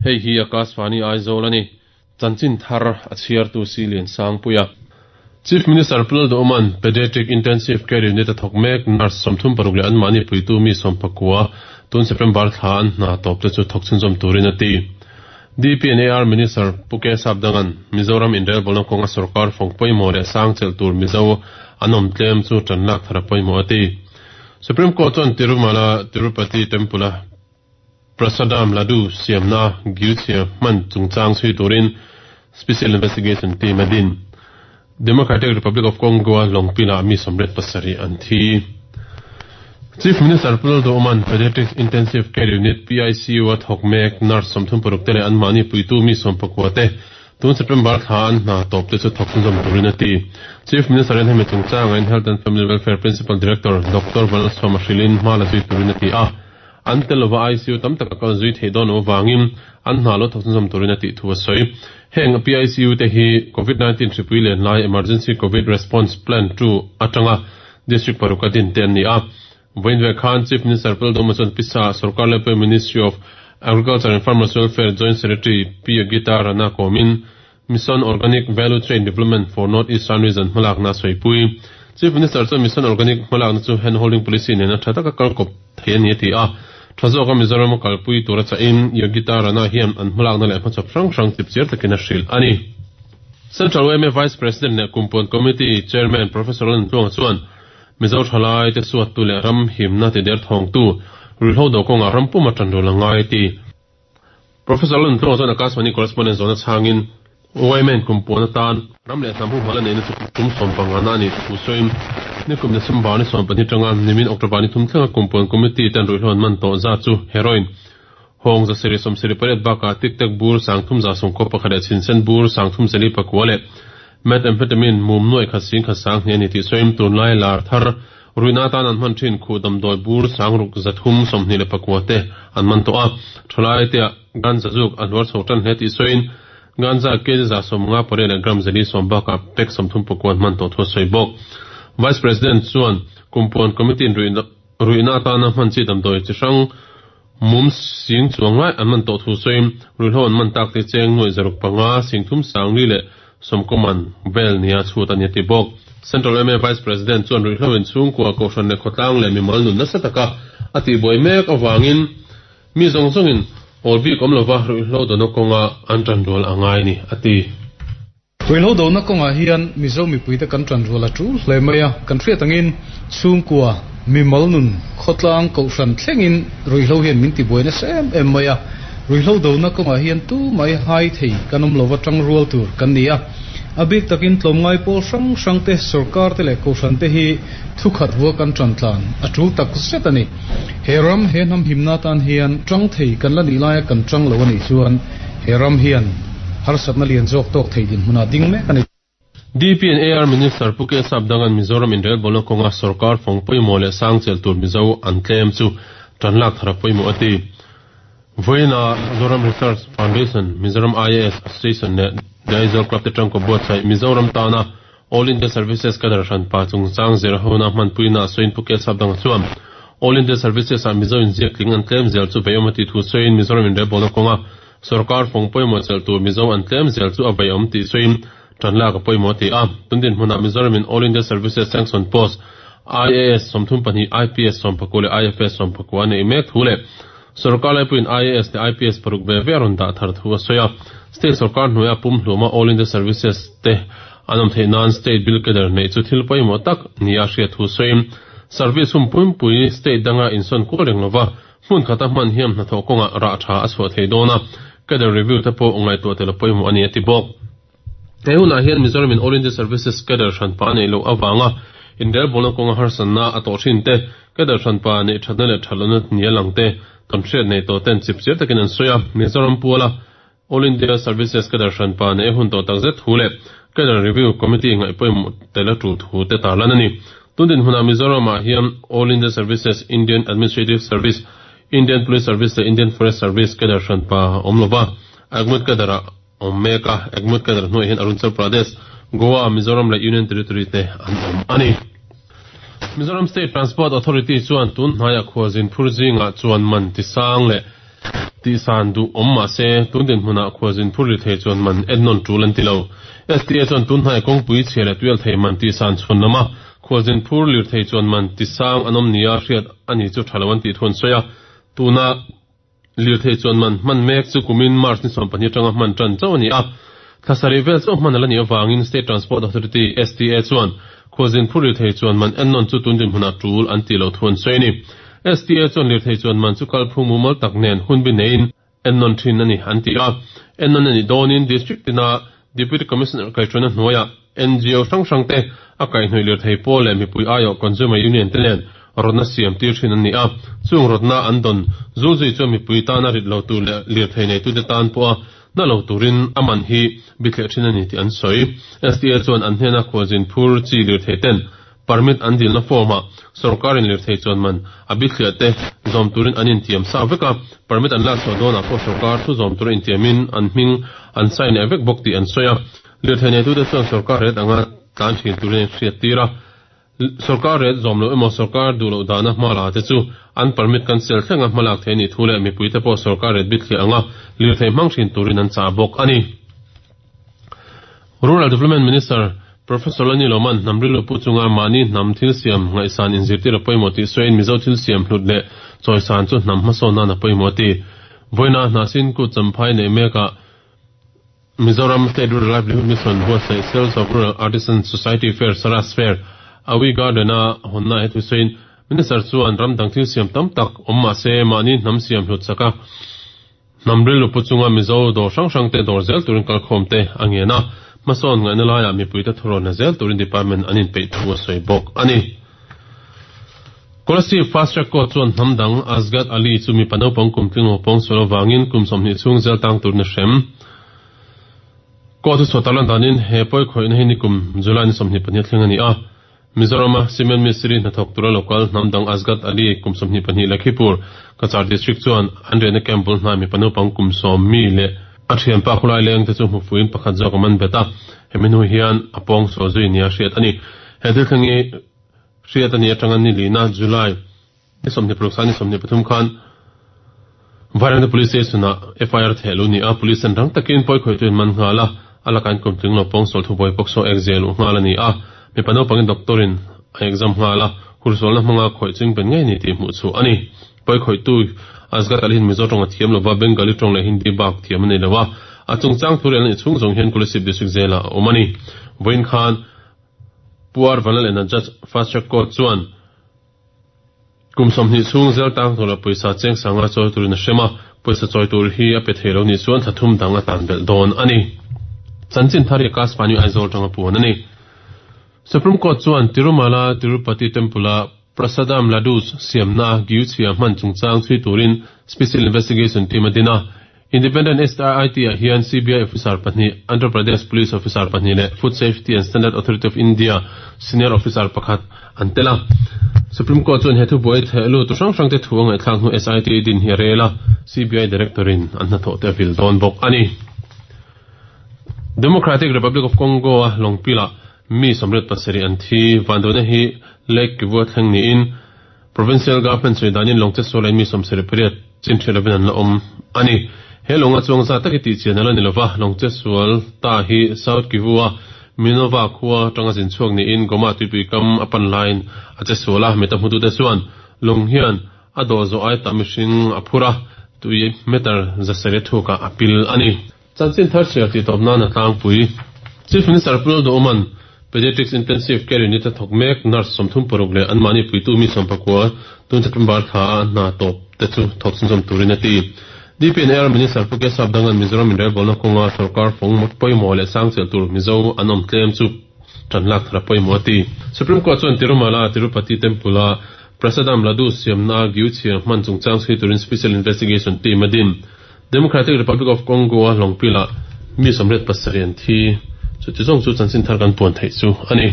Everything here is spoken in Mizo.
Hei hi Akashvani Aizawl a ni. Chanchin thar a chhiartu si Liansangpuia. Chief Minister Pu Lalduhoma'n Pediatric Intensive Care Unit a thawk mek nurse 36 leh anmahni puitu mi 19 tun September thla an hna tawp te chu thawk chhunzawm turin a ti. DPNAR Minister Pu K Sapdanga'n Mizoram inrelbawlna kawnga sorkar fawng pawimawh leh sang chelh tur Mizo an awm tlem chu tan lak thar a pawimawh a ti. Supreme Court chuan Tirumala Tirupati Temple-a Prasadam Ladu siamna Gyuchia hman chungchang chhui turin Special Investigation Team a din. Democratic Republic of Congo-a lawngpilah mi 87 an thi. Chief Minister Pu Lalduhoma'n Pediatric Intensive Care Unit, PICU, a thawk mek nurse 36 te leh anmahni puitu mi 19 te tun September thla an hna tawp te chu thawk chhunzawm turin a ti. Chief Minister in hemi chungchangah in Health and Family Welfare Principal Director Doctor Vanlalsawma hrilhin hma la zui turin a ti a. An tel lova ICU tam tak a kal zui theih dawn loh avangin an hna lo thawk chhunzawm turin a tih thu a sawi. Heng PICU te hi Covid 19 hripui len lai Emergency Covid Response Plan 2 atanga District paruk a din te an ni a. Vawiin ve khan Chief Minister Pu Lalduhoma chuan Pisa Sorkar Laipui Ministry of Agriculture and Farmers Welfare Joint Secretary Pi Yogita Rana kawmin Mission Organic Value Chain Development for North Eastern Region hmalakna a sawipui. Chief Minister chuan Mission Organic hmalakna chu Hand Holding Policy nena tha taka kal kawp thei a ni a ti a. Tha zawka Mizoram a kalpui tura chahin Yogita Rana hian an hmalakna leh hmachhawp hrang hrang chipchiar takin a hrilh a ni. Central yma Vice President leh Kumpuan Committee Chairman Professor Lalnuntluanga chuan Mizo thalai te suattu leh ram himna tider thawngtu ruihhlo do kawngah ram puma tanrual a ngai a ti. Professor Lalnuntluanga chuan Akashvani correspondent zawhna chhangin yma kumpuan atan ram leh hnam humhalh a neihna chu kum 15 na a nih thu sawiin nikum December ni 12 tanga nimin October ni thum thlenga kumpuan committee ten ruihhlo an man tawh zat chu heroin hawng 778 bakah tic tac bur 3191 leh chhinsen bur 34 leh methamphetamine mum 1,102 a ni tih sawiin tunlai lar thar Ruihna atan an hman thin khuh damdawi bur 629 te an man tawh a. Thalai te ah ganja zuk a hluar chho tan hle tih sawiin ganja kg 58 leh gram 410 bakah pack 39 an hman tawh thu a sawi bawk. Vice President chuan Kumpuan Committee in ruihna atana hman chi damdawi chi hrang mum sing chuang lai an man tawh thu sawiin ruihhlo an man tak te cheng 605 340 leh sawmkawman vel nia chhut a ni a ti bawk. Central yma Vice President chuan ruihhlo in chhungkua kohhran leh khawtlang leh mimal nun nasa taka a tihbuai mek avangin mi zawng zawngin awl bik awm lova ruihhlo dawna kawnga an tanrual a ngai a ni a ti. Ruihhlo dona kawngah hian Mizo mipuite kan tanrual a tul hle mai a, kan hriat angin chhungkua, mimal nun, khawtlang, kohhran thlengin ruihhlo hian min tibuai nasa em em mai a. Ruihhlo dona kawngah hian tu mai hai thei kan awm lova tangrual tur kan ni a. A bik takin tlawmngai pawl hrang hrang te, sorkar te leh kohhran te hi thukhat vua kan tantlan a tul tak zet a ni. He ram, he hnam himna tan hian tang thei kan la nih laia kan tang lo a nih chuan he ram hian harsatna lian zawk tawk thei dinhmunah ding mek a ni. DP and AR Minister Pu K Sapdanga'n Mizoram inrelbawlna kawnga sorkar fawng pawimawh leh sang chelh tur Mizo an tlem chu tan lak thar a pawimawh a ti. Vawiina Zoram Research Foundation, Mizoram IAS Association leh The Aizawl Club te tangkaw buatsaih Mizoram tana All India Services Cadre hranpa chungchang zir hona hmanpuina a sawiin Pu K Sapdanga chuan All India Services ah Mizo inziak tling an tlem zel chu veiawm a tih thu sawiin Mizoram inrelbawlna kawnga Sorkar fawng pawimawh chelh tur Mizo an tlem zel chu a veiawm tih sawiin tan lak a pawimawh a ti a. Tun dinhmunah Mizoramin All India Services Sanction Post, IAS 32, IPS 14 leh IFS 14 a neih mek thu leh sorkar laipuiin IAS leh IPS paruk ve ve a rawn dah thar thu a sawi a. State sorkar hnuaia pumhluma All India Services te an awm theih nan State Bill Cadre neih chu thil pawimawh tak nia a hriat thu sawiin service hun pumpui state danga insawn kual reng lova Hmun khata hman hian hnathawh kawngah rah tha a chhuah thei dawn a, cadre review te pawh ngaihtuah tel a pawimawh a ni a ti bawk. He hunah hian Mizoram in All India Services cadre hranpa a neih loh avanga inrelbawlna kawnga harsatna a tawh thin te, cadre hranpa neih thatna leh thatlohna ni a lang te kan hriat nei tawh ten chipchiar takin an sawi a, Mizoram puala All India Services cadre hranpa neih a hun tawh takzet thu leh Cadre Review Committee ngaih pawimawh tel a tul thu te tarlan a ni. Tun dinhmunah Mizoramah hian All India Services, Indian Administrative Service, Indian Police Service leh Indian Forest Service cadre hranpa a awm lova, AGMUT cadre a awm mek a, AGMUT cadre hnuaiah hian Arunachal Pradesh, Goa, Mizoram leh Union Territory te an awm a ni. Mizoram State Transport Authority chuan tun hnaiah khualzin phur zingah chuan man tisang leh. Tihsan duh awm mah se, tun dinhmunah khualzin phur ri thei chuan man ennawn tul an ti lo. STA chuan tun hnai kawngpui chhia leh tuial thei man tihsan chhawn lama khualzin phur lirthei chuan man tisang an awm nia hriat a ni chu tha lo an tih thu an sawi a. Tuna lirthei chuan man hman mek chu kumin March ni 12 atanga hman tan chauh a ni a. Thla sarih vel chauh hman a la nih avangin State Transport Authority, STA, chuan khualzin phur lirthei chuan man ennawn chu tun dinhmunah tul an tih loh thu an sawi a ni. STA chuan lirthei chuan man chu kalphung mumal tak nen hunbi neiin ennawn thin a ni an ti a. Ennawn a nih dawnin District tina Deputy Commissioner kaihhruaina hnuaiah NGO hrang hrang te a kaihhnawih lirthei pawl leh mipui aiawh Consumer Union te nen rawtna siam tir thin an ni a. Chung rawtna an dawn zulzui chuan mipui tana rit lo tur leh lirthei neitute tan pawha na lo turin a man hi bithleh thin a ni tih an sawi. STA chuan an hnena khualzin phur chi lirthei ten Permit an dilna form-ah sorkarin lirthei chuan man a bithliah te zawm turin an intiam sa vek a, permit an lak chhuah dawnah pawh sorkar thu zawm tura intiamin an hming an sign leh vek bawk tih an sawi a. Lirthei neitute chuan sorkar ret anga tlan thin turin an hriattir a, sorkar ret zawm loh emaw sorkar duh loh dahna hma la te chu an permit cancel thlenga hmalak thei a nih thu leh mipuite pawh sorkar ret bithliah anga lirthei hmang thin turin an chah bawk a ni. Rural Development Minister Professor Lani Loman hnam rilru pu chunga mahni hnam thil siam ngaihsan inzirtir a pawimawh tih sawiin Mizo thil siam hlut leh chawisan chu hnam hmasawn nan a pawimawh a ti. Vawiina Hnahsin Kut Champhai neih mekah Mizoram State Rural Livelihood Mission buatsaih Sales of Rural Artisan Society Fair, Saras Fair, Awi Garden-a hawnna he thu sawiin Minister chuan ram dang thil siam tam tak awm mahse mahni hnam siam hlut chaka Hnam rilru pu chunga Mizo dawr hrang hrang te dawr zel turin kalkhawm te a ngen a, hmasawn ngaihna laiah mipuite thurawn la zel turin department an inpeih thu a sawi bawk a ni. Kolasib Fast Track Court chuan hnam dang Asgad Ali chu mipa naupang kum tling lo pawng sual avangin kum 20 chhung zel tang turin a hrem. Court hi chhuah tarlan danin he pawi khawihna hi nikum July ni 22 thleng a ni a. Mizorama Cement Mistiri hnathawk tura local hnam dang Asgad Ali kum 22 Lakhipur, Cachar District chuan an riahna camp bul hnai mipa naupang kum 10 mi leh a thianpa khulai leng te chu hmu fuiin pakhat zawk a man bet a, hemi hnu hian a pawng sual zui nia hriat a ni. He thil thleng hi hriat a nih atanga ni lina July ni 26 sa ni 23 khan Vairengte Police Station-ah FIR theh luh ni a, Police an rang takin pawi khawihtu in man nghal a, a lakah in kum tling lo pawng sual thubuai pawk saw ek zia luh nghal a ni a, mipa naupangin doctor-in a exam nghal a, hursualna hmanga khawih ching ben ngei ni tih hmuh chhuah a ni. Pawi khawihtu Asghar Ali hian Mizo tawng a thiam lova, Bengali tawng leh Hindi bak thiam a nei lo a, a chungchang thu rel a nih chhung zawng hian Kolasib District Jail-ah a awm a ni. Vawiin khan Pu R. Vanlalena Judge Fast Track Court chuan, Kum 20 chhung zel tang tur leh pawisa cheng sanga chawi turin a hrem a, pawisa chawi tur hi a pe thei lo nih chuan thla thum dang a tan belh dawn a ni. Chanchin thar hi Akashvani Aizawl tanga puan a ni. Supreme Court chuan Tirumala Tirupati Temple-a Prasadam Ladus siamna Giuchhia hman chungchang chhui turin Special Investigation Team a din a. Independent SIT-ah hian CBI officer pahnih, Andhra Pradesh Police officer pahnih leh Food Safety and Standard Authority of India senior officer pakhat an tel a. Supreme Court chuan he thubuai theh lut hrang hrangte thu a ngaihthlak hnu SIT din hi a rel a, CBI Director-in an hnathawh te a vil dawn bawk a ni. Democratic Republic of Congo-a lawngpilah mi 87 an thi. Vanduaina hi Lake Kivu-a thleng niin, Provincial Government sawi danin lawng chetsual in mi 78 chin hriat lovin an la awm a ni. He lawnga chuang zat tak hi tih chian a la ni lova, lawng chetsual ta hi South Kivu-a Minova khua atanga zin chhuak niin Goma tuipui kam a pan laiin a chetsual a, mita hmutute chuan lawng hian a dawh zawh ai tah mihring a phur a, tui meter 700 thukah a pil a ni. Chanchin thar chhiar tih tawp nan a tlangpui. Chief Minister Pu Lalduhawma'n Pediatrics Intensive Care Unit a thawk mek nurse 36 leh anmahni puitu mi 19 tun September thla a hna tawp te chu thawk chhunzawm turin a ti. DPNR Minister Pu Kesap Dangan Mizoram inrelbawlna kawnga sorkar fawng pawimawh leh sangchel tur Mizo an awm tlem chu tan lak thar a pawimawh a ti. Supreme Court chuan Tirumala Tirupati Temple-a Prasadam Ladu siamna Giuchhia hman chungchang chhui turin Special Investigation Team a din. Democratic Republic of Congo-a lawngpilah mi 87 an thi. Chuti zawng chu chanchin thar kan puan theih chu a ni.